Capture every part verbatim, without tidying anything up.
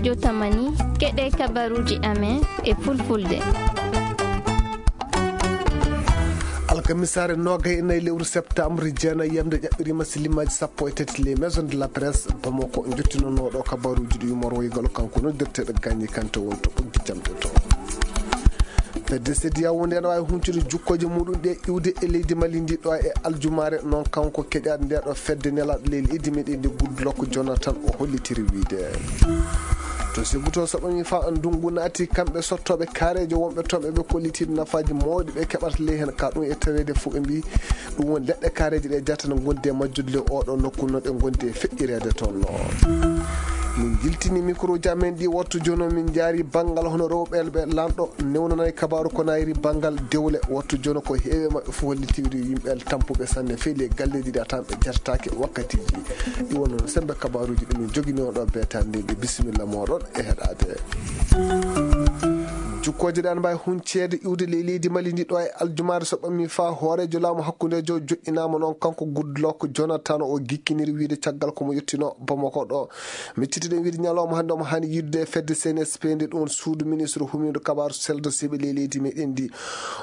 Yo tamani, keɗe kabaruuji amen e fulfulde. Alkamisaare noogay e nayi lewru septembre, jeenayi yamde ƴaɓɓiriima silimaji sappo e tati les maisons de la presse Bamako, jottinonooɗo kabaruuji ɗi yumorwoygol kanko noddirteeɗo Gagny Kanté won to ɓoggi jamɗe to. Fedde sediyawo nde no waawi huncude jukkooje muɗum ɗe iwde e leydi Mali ndi ɗo e aljumaare, noon kanko keƴaaɗo nde ɗo fedde nelaaɗo leydi meɗen ndi Goodluck Jonathan o hollitiri wiide. To Sebuto saɓami fa ndungu naati, kamɓe sottooɓe kaareejo wonɓe toon ɓe kollitiiɗo nafaaji mawɗi ɓe keɓata ley heen ka ɗum e taweede fof ɓe mbi ɗum woni leɗɗe kaareeje ɗe jatana gonde e majjude ley oɗo nokku no ɗe gondi e feƴƴireede toon no. Min jiltini micro ji amen ɗi wattu jooni o, min njaari banngal hono rewɓe ɓe lanɗo newnanay kabaaru ko nayri banngal dewle wattu jooni ko heewi maɓɓe fof hollitiwri yimɓe tampuɓe sanne fey ley galleeji ɗi a tan ɓe jartaaki wakkatiiji ɗi wonno no sembe kabaaruuji ɗi min jogini on ɗo beetande ɗi bisimilla moɗon e heɗaade. Jukkooje ɗan mbawi hunceede iwde ley leydi Mali ndi ɗo e aljumaare so ɓammi fa hooreejo laamu hakkundeejo joƴƴinaama noon kanko Goodluck Jonathan o gikkiniri wiide caggal ko mo yettino Bamako ɗo. Miccitiɗen wiide ñalawma hannde omo haani yidde e fedde C N S P nde ɗum suudu ministre humindu kabaaru seldo siɓe ley leydi meɗen ndi.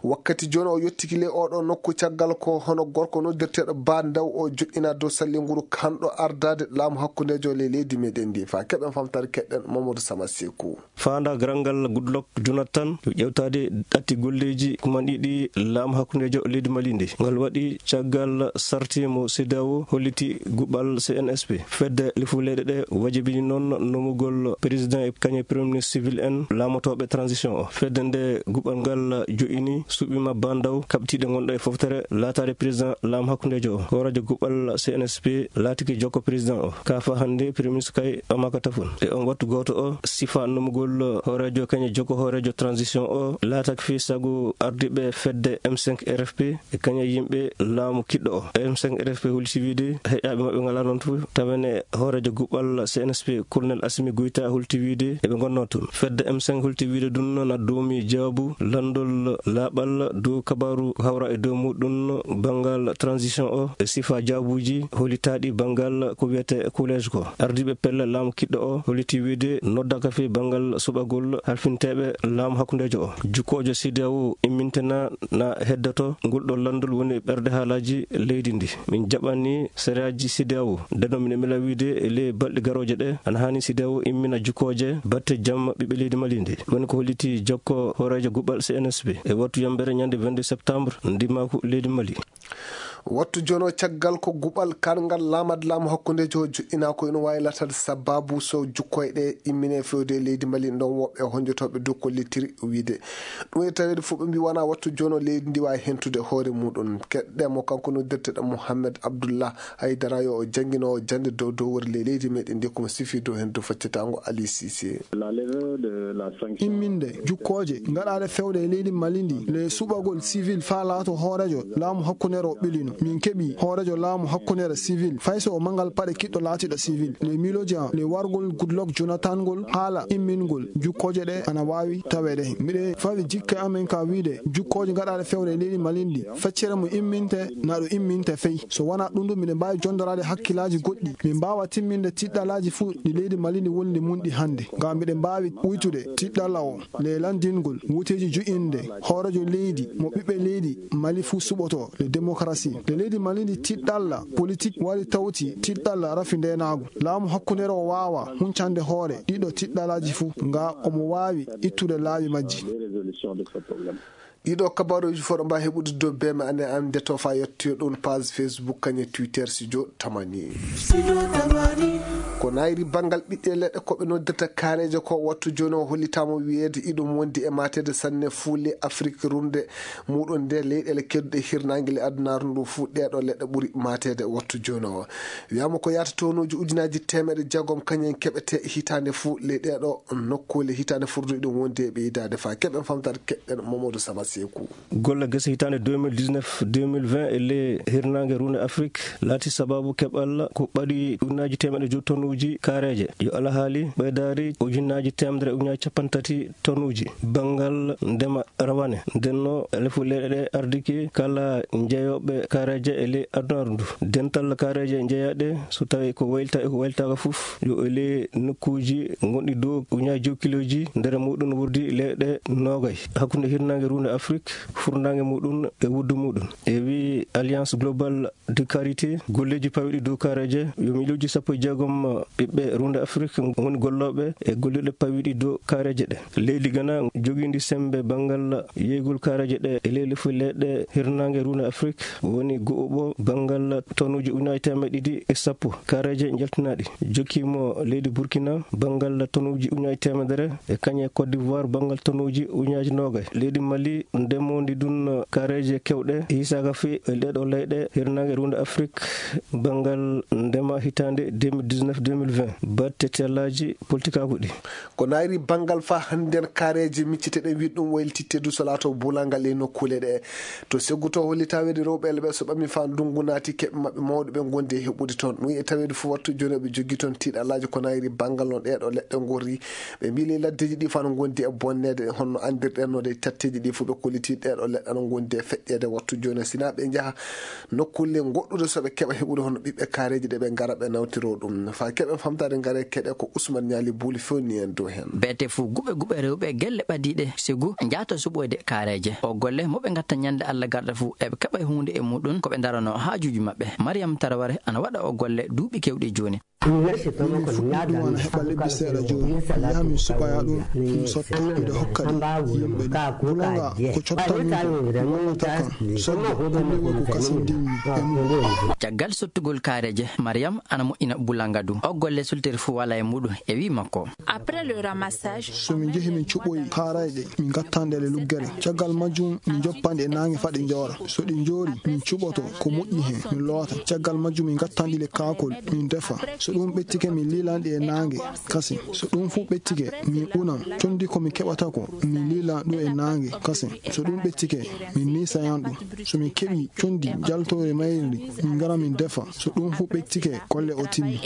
Wakkati jooni o yettiki ley oɗo nokku caggal ko hono gorko noddirteeɗo Ba Ndaw o joƴƴina dow salli nguru kanɗo ardaade laamu hakkundeejo ley leydi meɗen ndi. Fa keɓen famtare keɗɗen Mamadou Sama Sekou. Faanda garal ngal Goodluck Jonathan yo ƴewtaade ɗatti golleeji kumanɗi ɗi laamu hakkundeejo leydi Mali ndi. Ngal waɗi caggal sarti mo CEDEAO holliti guɓal C N S P. Fedde lifu leyɗe ɗe wajibini noon nomugol président e kañe premier ministre civil en laamotooɓe transition o. Fedde nde guɓal ngal joƴini suɓima Ba Ndaw kaɓtiiɗe ngonɗo e foftere laataade président laamu hakkundeejo o. Hooreejo guɓal C N S P laatiki jokko président o. Ka fa hannde premier ministre kay Amaka Tafun. E on wattu gooto o, sifa nomugol hooreejo kañe jokko hooreejo transition o laataki fii sago ardiiɓe fedde M cinq R F P e kañe yimɓe laamu kiɗɗo o. M cinq R F P holti wiide heƴaaɓe maɓɓe ngalaa noon tun. Tawene hooreejo guɓal C N S P, Colonel Assimi Goïta holti wiide eɓe ngonnoo tun. Fedde M cinq holti wiide ɗun na doomi jaabu lanndol laaɓal dow kabaaru hawra e dow muɗum banngal transition o e sifa jaabuuji holitaaɗi banngal ko wiyetee collège ko. Ardiiɓe pelle laamu kiɗɗo o holliti wiide noddaka fii banngal suɓagol halfinteeɓe laamu hakkundeejo o. Jukkoojo CEDEAO immintena na heddoto ngol ɗo lanndol woni ɓernde haalaaji leydi ndi. Min jaɓani sariyaaji CEDEAO. Ndeno mine mila wiide e ley balɗe garooje ɗe, ana haani CEDEAO immina jukkooje batte jamma ɓiɓɓe leydi Mali ndi. Woni ko holliti jokko hooreejo guɓal C N S P. E wattu yambere ñande vingt-deux septembre, ndimaaku leydi Mali. Wattu jono caggal ko guɓal karngal laamad laamu hakkundeejo joƴƴinaa ko ina waawi laataade sababu so jukkooje ɗe immine fewde e leydi Mali ndon woɓɓe honjotooɓe dow ko lettiri wiide. Ɗum e taweede fof ɓe mbi wona wattu jono leydi ndi waawi hentude hoore muɗum. Keɗɗe mo kanko noddirteɗo Mohamed Abdullah Haydara yo o janngino o jannde dow dow wori ley leydi meɗen ndi komo sifi dow heen dow faccatango Ali Cissé. Imminde jukkooje ngaɗaade fewde e leydi Mali ndi le suɓagol civil faa laato hooreejo laamu hakkundeere o ɓilino. Min keɓi hooreejo laamu hakkundeere civil fay so o mangal paɗe kiɗɗo laatiɗo civil. Le miiloji am le wargol Goodluck Jonathan ngol haala immingol jukkooje ɗe ana waawi taweede. Miɗe fawi jikke amen ka wiide jukkooje ngaɗaade fewde e leydi Mali ndi feccere mo imminte na ɗo imminte fey. So wonaa ɗum ɗum miɗen mbaawi jondoraade hakkillaaji goɗɗi. Min mbaawa timminde tiɗɗalaaji fuu ɗi leydi Mali ndi woni ndi mun ɗi hannde. Ngam miɗen mbaawi uytude tiɗɗalla o le lanndingol wuteeji ju'inde hooreejo leydi mo ɓiɓɓe leydi Mali fuu suɓoto le démocratie. Le leydi Mali ndi tiɗɗalla politik wari tawti tiɗɗalla rafi ndeenaagu. Laamu hakkundeere o waawa huncande hoore ɗiɗo tiɗɗalaaji fuu nga omo waawi ittude laawi majji. Ɗiɗo kabaruuji fof ɗo mbaawi heɓude dow B M N an nde to fa yettoyo ɗum page Facebook kañe Twitter studio tamani. Ko nayri banngal ɓiɓɓe leɗɗe ko ɓe noddirta kaareeje ko wattu jooni o hollitaama wiyeede iɗum wondi e maateede sanne fuu le Afrik runde muɗum nde leyɗeele kedduɗe hirnaange le adunaaru ndu fuu ɗeeɗo leɗɗe ɓuri maateede wattu jooni o. Wiyaama ko yaata tonuuji ujunaaji teemeɗe jeegom kañum en keɓete hitaande fuu le ɗeeɗo nokkuule hitaande furduɗe ɗum wondi e ɓeydaade fa keɓen famtaade keɗɗen Mamadou Saba Seeku. Golle gese hitaande deux mille dix-neuf deux mille vingt e le hirnaange runde Afrik laati sababu keɓal ko ɓadi ujunaaji teemeɗe jowi tonnes uji kaareeje. Yo alhaali ɓeydaari ujunnaaji teemedere ujunnaaji capanɗe tati tonuuji. Banngal ndema rawane. Ndenno lefu leyɗe ɗe ardike kala jeyooɓe kaareeje e ley adunaaru ndu. Dental kaareeje jeyaaɗe so tawii ko waylita e ko waylitaaka fof, yo e ley nokkuuji gonɗi dow ujunnaaji jow kilooji, nder muɗum wurdi leyɗe noogay. Hakkunde hirnaange ruunde Afrik, furnaange muɗum e wuddu muɗum. E wi Alliance Globale de Carité, golleeji pawiɗi dow kaareeje, yo miilooji sappo e jeegom ɓiɓɓe ruunde Afrik ngoni gollooɓe e gollirɗe pawiɗi dow kaareeje ɗe. Leydi Gana jogiindi semmbe banngal yeeygol kaareeje ɗe e ley lefu leyɗe hirnaange ruunde Afrik woni go'uɓo banngal tonuuji ujunnaaji teemedde ɗiɗi e sappo kaareeje njaltinaaɗi. Jokkiimo leydi Burkina banngal tonuuji ujunnaaji teemedere e kañe Côte d'Ivoire banngal tonuuji ujunnaaji noogay. Leydi Mali ndemoondi ɗum kaareeje keewɗe hiisaaka fii e ɗeeɗo leyɗe hirnaange ruunde Afrik banngal ndema hitaande deux mille dix-neuf deux mille vingt. Batte tellaaji politikaaku ɗi. Ko naayri banngal faa hannden kaareeje micciteɗen wiɗ ɗum waylititte du so laato bulangal e nokkuule ɗe. To seggu to hollita weede rewɓe elɓe so ɓami faa ndungu naati keɓe maɓɓe mawɗo ɓe ngondi e heɓude toon. Ɗum e taweede fof wattu jooni ɓe joggi toon tiiɗalaaji ko naayri banngal no ɗeeɗo leɗɗe ngorri. Ɓe mbiili laddeeji ɗi faa no ngondi e bonneede honno anndirɗen no de tatteeji ɗi fof ɓe kolliti ɗeeɗo leɗɗe no ngondi e feƴƴeede wattu jooni sinaa ɓe njaha nokkuule goɗɗude so ɓe keɓa heɓude hono ɓiɓɓe kaareeji ɗe ɓe ngara ɓe nawtiro ɗum. Faa keɓen famtaade ngare keɗe ko Usman Ñaali Buuli fewni en dow heen. Beete fof guɓe guɓe rewɓe gelle ɓadiiɗe sigu njaata suɓoyde kaareeje. O golle mo ɓe ngatta ñande Alla garɗa fof eɓe keɓa huunde e muɗum ko ɓe ndarano haajuuji maɓɓe. Mariam Taraware ana waɗa o golle duuɓi keewɗi jooni. Min fuɗɗi ɗum wona heɓa lebbi seeɗa jooni. Mi yaha min suɓoya ɗum, mi sotta, miɗo hokka ɗi yimɓe ɗi. Bulanga ko cotta min ko, mi wallata kam. Sodde, ɗum ɗo ko kasin ndimmi e mum. Caggal sottugol kaareeje, Mariam ana moƴƴina bulanga du. O golle sultiri fof wala e muɗum e wi makko. Après le ramassage, so min njehi min cuɓoyi kaarayɗe, min ngatta nde e luggere. Caggal majjum min njoppa nde e naange faa ɗe njoora. So ɗe njoori, min cuɓoto ko moƴƴi heen, min loota. Caggal majjum min ngatta nde e kaakol, min ndefa. So ɗum ɓettike, min liilan ɗe e naange kasin. So ɗum fof ɓettike, min unan. Conndi ko min keɓata ko, min liilan ɗum e naange kasin. So ɗum ɓettike, min niisayan ɗum. So min keɓii conndi njaltoori mayri, min ngara min ndefa. So ɗum fof ɓettike, golle o timmi.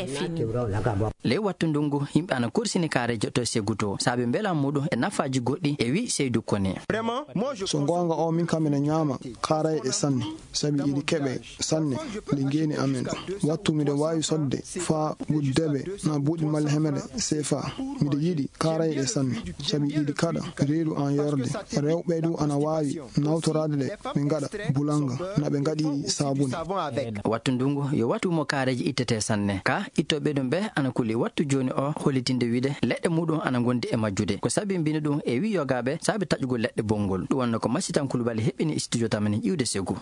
Ley wattu ndungu, yimɓe ana korsini kaareeje to seggu to, saabe mbeela muɗum e nafaaji goɗɗi, e wi Seydu Kone. So goonga o, min kam miɗo ñaama kaarayɗe sanne, sabi iɗi keɓe sanne nde ngeeni amen ɗo. Wattu miɗo waawi sodde faa guddebe na buuɗi malla hemere seefa. Miɗo yiɗi kaarayɗe sanne, sabi iɗi kaɗa reedu an yorde. Rewɓe du ana waawi nawtoraade ɗe, ɓe ngaɗa bulanga, na ɓe ngaɗi saabuni. Wattu ndungu yo wattu mo kaareeji ittete sanne. Ka ittooɓe ɗum ɓe ana kuli wattu jooni o hollitinde wiide leɗɗe muɗum ana ngondi e majjude. Ko sabi mbini ɗum e wi yogaaɓe saabe taƴugol leɗɗe bonngol. Ɗum wonno ko Masitan Kulubali heɓɓini studio tamani ƴiwde segu.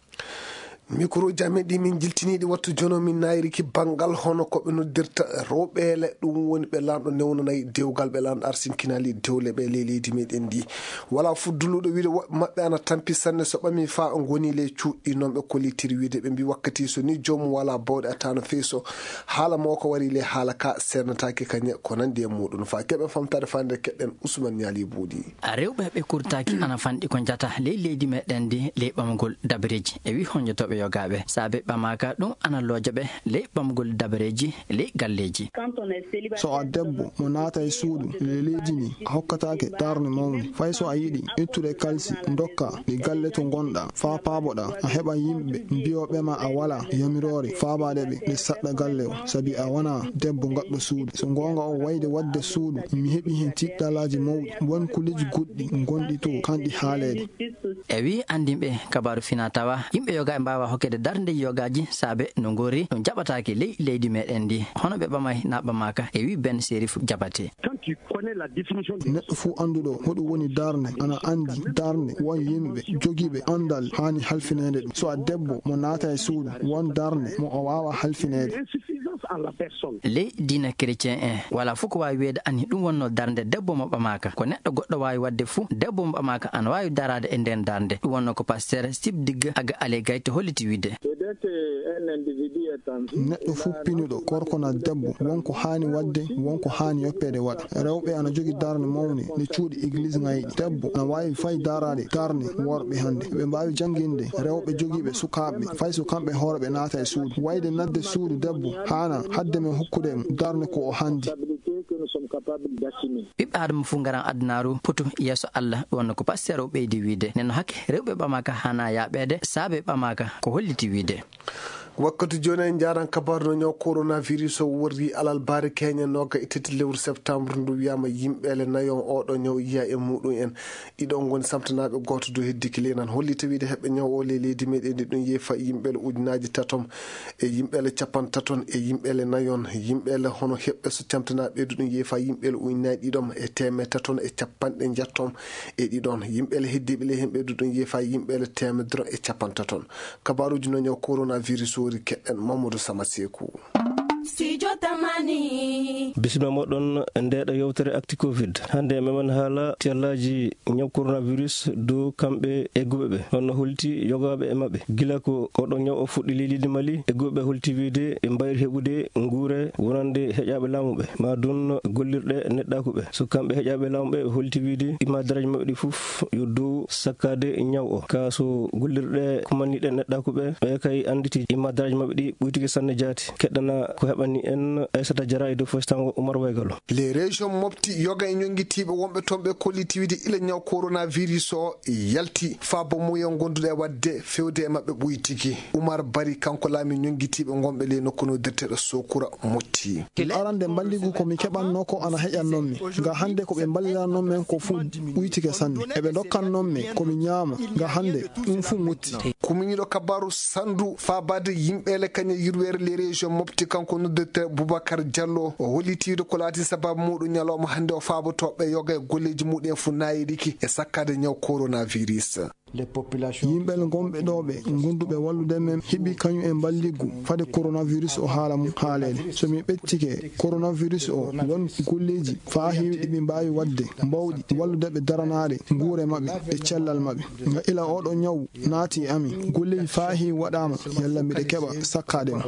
Mikro jame ɗi min jiltiniiɗi wattu jono min nayriki banngal hono ko ɓe noddirta rewɓeele, ɗum woni ɓe laamɗo newnanayi dewgal ɓe laamɗo arsinkinaali dewle ɓe ley leydi meɗen ndi. Wala fudduluɗo wiide woɓɓe maɓɓe ana tampi sanne so ɓami faa ngoni ley cuuɗi noon ɓe kollitiri wiide ɓe mbi wakkati so ni joomum wala bawɗe a tano fey so haala mo ko wari ley haala ka sernataake kañe ko nandi e muɗum faa keɓen famtaade faa nder keɗɗen Usman Ñaali Buuɗi. Rewɓe ɓe kurtaaki ana fanɗi ko njata ley leydi meɗen ndi ley ɓamugol dabareeji e wi honjotooɓe yogaaɓe saabe ɓamaaka ɗum ana looja ɓe ley ɓamugol dabareeji ley galleeji. So a debbo mo naata e suudu ley leydi ndi a hokkataake darnde mawnde fay so a yiɗi ittude kalsi ndokka ɗi galle to ngonɗa faa paaboɗa a heɓa yimɓe mbiyooɓe ma a wala yamiroore faabaade ɓe ɓe saɗɗa galle o sabi a wona debbo gaɗɗo suudu so goonga o wayde waɗde suudu mi heɓi heen tiɗɗalaaji mawɗi won kuleeji goɗɗi gonɗi to kanɗi haaleede. E wi anndinɓe kabaaru fina tawa yimɓe yoga e mbaawa hokkede darnde yogaaji saabe no ngori no jaɓataake ley leydi meɗen ndi hono ɓe ɓamay na ɓamaaka e wi Ben Serif Jabate. Neɗɗo fuu annduɗo hoɗum woni darnde ana anndi darnde won yimɓe jogiiɓe anndal haani halfineede ɗum so a debbo mo naata e suudu won darnde mo o waawa halfineede. Ley diina chrétien en wala fof ko waawi wiyeede ani ɗum wonno darnde debbo mo ɓamaaka ko neɗɗo goɗɗo waawi waɗde fuu debbo mo ɓamaaka ana waawi daraade e nden darnde ɗum wonno ko pasteur Sib Digg aga Alé Gaye to holliti wiide. Neɗɗo fuu pinuɗo, gorko na debbo, won ko haani waɗde, won ko haani yoppeede waɗa. Rewɓe ana jogi darnde mawnde nde cuuɗi egliis ŋayɗi. Debbo ana waawi fay daraade darnde worɓe hannde. Ɓe mbaawi jannginde rewɓe jogiiɓe sukaaɓe, fay so kamɓe hoore ɓe naata e suudu. Wayde naatde suudu debbo haana hadde men hokkude mo darnde ko o haandi. Ɓiɓɓe Aadama fuu ngaran adunaaru poto yeeso Allah, ɗum wonno ko pasteur o ɓeydi wiyde. Nden no hakke rewɓe ɓamaaka haana yaaɓeede, saabe ɓamaaka ko holliti wiyde. Wakkati jooni en njaaran kabaaru no ñaw coronavirus o worri alarba keñe nooga e tati lewru septembre ndu, wiyaama yimɓeele nayo oɗo ñaw yiya e muɗum en. Ɗiɗo ngoni samtanaaɓe, gooto du heddiki ley nan. Holli tawiide heɓɓe ñaw o ley leydi meɗen ndi ɗum yeefa yimɓeele ujunaaji tatom e yimɓeele capantaton e yimɓeele nayon. Yimɓeele hono heɓɓe so camtanaaɓe du ɗum yeefa yimɓeele ujunaaji ɗiɗom e teemeɗe taton e capanɗe njettom e ɗiɗon. Yimɓeele heddiiɓe ley hemɓe du ɗum yeefa yimɓeele teemedere e capantaton. Kabaaruuji no ñaw coronavirus ori keɗɗen Mamadou Sama Seeku. Studio Tamani. Bisimilla moɗon e ndeeɗo yewtere Actu Covid. Hannde meɗen haala tiyallaaji ñaw coronavirus dow kamɓe egguɓe ɓe. Honno holti yogaaɓe e maɓɓe? Gila ko oɗo ñaw o fuɗɗi ley leydi Mali, egguɓe ɓe holti wiyde ɓe mbayri heɓude nguure wonande heƴaaɓe laamu ɓe. Ma ɗum gollirɗe neɗɗaaku ɓe. So kamɓe heƴaaɓe laamu ɓe, ɓe holti wiyde imadaraaji maɓɓe ɗi fof yo dow sakkaade ñaw o. Ka so gollirɗe kumanniiɗe neɗɗaaku ɓe, ɓe kay annditi imadaraaji maɓɓe ɗi ɓuytike sanne jaati. Keɗɗana ko heɓani en Aissata Diarra e dow foof tango Oumar Waygalo. Les régions mofti yoga e ñonngitiiɓe wonɓe toon ɓe kolliti wiyde ila ñaw coronavirus o yalti, faabo muyen gonduɗo e waɗde fewde e maɓɓe ɓuytiki. Oumar Bari, kanko laami ñonngitiiɓe ngonɓe ley nokku noddirteeɗo Sokura Motti. Arande mballigu ko mi keɓanno ko ana heƴannon mi. Nga hannde ko ɓe mballirannon men ko fuu ɓuytike sanne. Eɓe ndokkannon men ko mi ñaama. Nga hannde ɗum fuu mutti. Kuminiiɗo kabaaru sandu faabaade yimɓeele kañe yirweere les régions mofti, kanko noddirteeɗo Boubacar Diallo, o holliti wiyde ko laati sababu muɗum ñalawma hannde o faabotooɓe yoga e golleeji muɗum en fuu naayiriki e sakkaade ñaw coronavirus. Yimɓe ngonɓe ɗo ɓe ngonduɓe wallude men heɓi kañum e mballiggu fade coronavirus o haala mum haaleede. So mi ɓettike coronavirus o, won golleeji faa heewi ɗi ɓe mbaawi waɗde mbawɗi wallude ɓe daranaade nguure maɓɓe e cellal maɓɓe. Nga ila oɗo ñaw naati e amin, golleeji faa heewi waɗaama yalla mbiɗa keɓa sakkaade mo.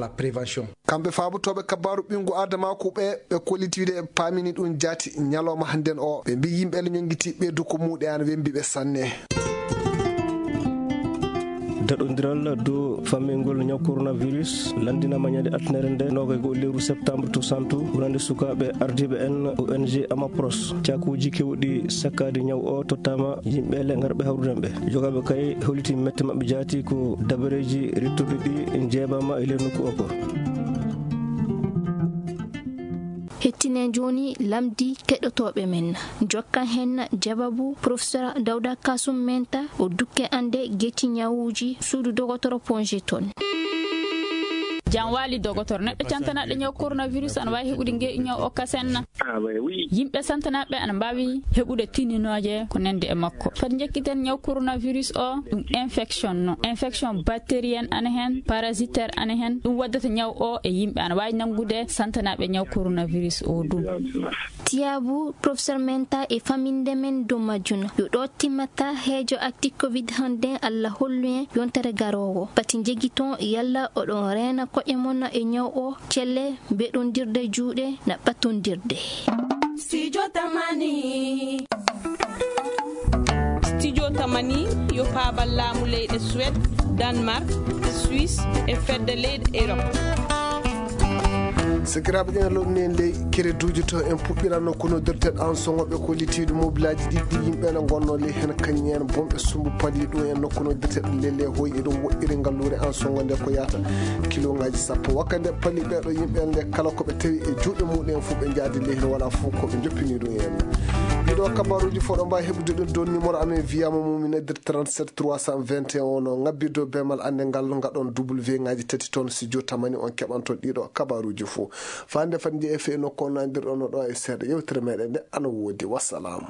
Kamɓe faabotooɓe kabaaru ɓinngu Aadamaaku ɓe, ɓe kolliti wiyde ɓe paamini ɗum jaati ñalawma hannden o. Ɓe mbii yimɓe le ñonngiti ɓeydu ko muuɗe an wembi ɓe sanne. Daɗondiral dow fammingol ñaw coronavirus lanndinaama ñande altine nde noogay goo lewru septembre to Santu, wonande sukaaɓe ardiiɓe en O N G Amapros. Caakuuji keewɗi sakkaade ñaw o tottaama yimɓe le ngarɓe hawrude ɓe. Jogaaɓe kay holliti mette maɓɓe jaati ko dabareeji rittuɗi ɗi njeebaama e nder nokku o ko. Hettinen jooni lamndi keɗotooɓe men. Jokkan heen jawabu Professeur Dawda Kasum Menta, o dukke annde geti ñawuuji suudu dogotoro Ponge toon. Jam waali dogotoro, neɗɗo cantanaɗo ñaw coronavirus ana waawi heɓude nge ñaw o kasen? Yimɓe santanaɓe ana mbaawi heɓude tininooje ko nandi e makko. Fati njekkiten ñaw coronavirus o, ɗum infection no. Infection bactérienne ana hen, parasitaire ana hen. Ɗum waddata ñaw o e yimɓe ana waawi nangude santanaɓe ñaw coronavirus o ɗum. Tiyaabu Professeur Menta e faminde men dow majjum. Yo ɗo timmata heejo Actu Covid hannde, Allah hollu en yontere garoowo. Pati njegiton yalla oɗon reena koƴe mon e ñaw o, celle, mbeɗondirde juuɗe, na ɓattondirde. Studio Tamani. Studio Tamani yo paabal laamu leyɗe Suède, Danemark, Suisse e fedde leyɗe Europe. Sakiraaɓe, ɗen lomni en ley kereduuji to en puɗɗiranno kono dirteɗo an songoɓe ko litiiɗo mobilaaji ɗiɗɗi yimɓe ene ngonno ley heen kañum en bonɓe sumbu pali ɗum en nokku no dirteɗo lelle hoy eɗum woɗɗiri ngalluure an songo nde ko yaata kilongaaji sappo. Wakka nde pali ɓeeɗo yimɓe nde kala ko ɓe tawi e juuɗe muɗum en fof ɓe njaadi ley heen wala fof ko ɓe joppini ɗum en. Ɗiɗo kabaruuji fof ɗo mbawi heɓude ɗum dow numéro amen wiyama mumina dir trente-sept trois cent vingt et un o ngabbi dow bemal annde ngal ngaɗon W ngaji tati toon si jotamani on keɓanto ɗiɗo kabaruuji fof. Fande fat njeeya fii nokku o nandirɗon no ɗo e seeɗa yewtere meɗen nde ana woodi. Wassalam.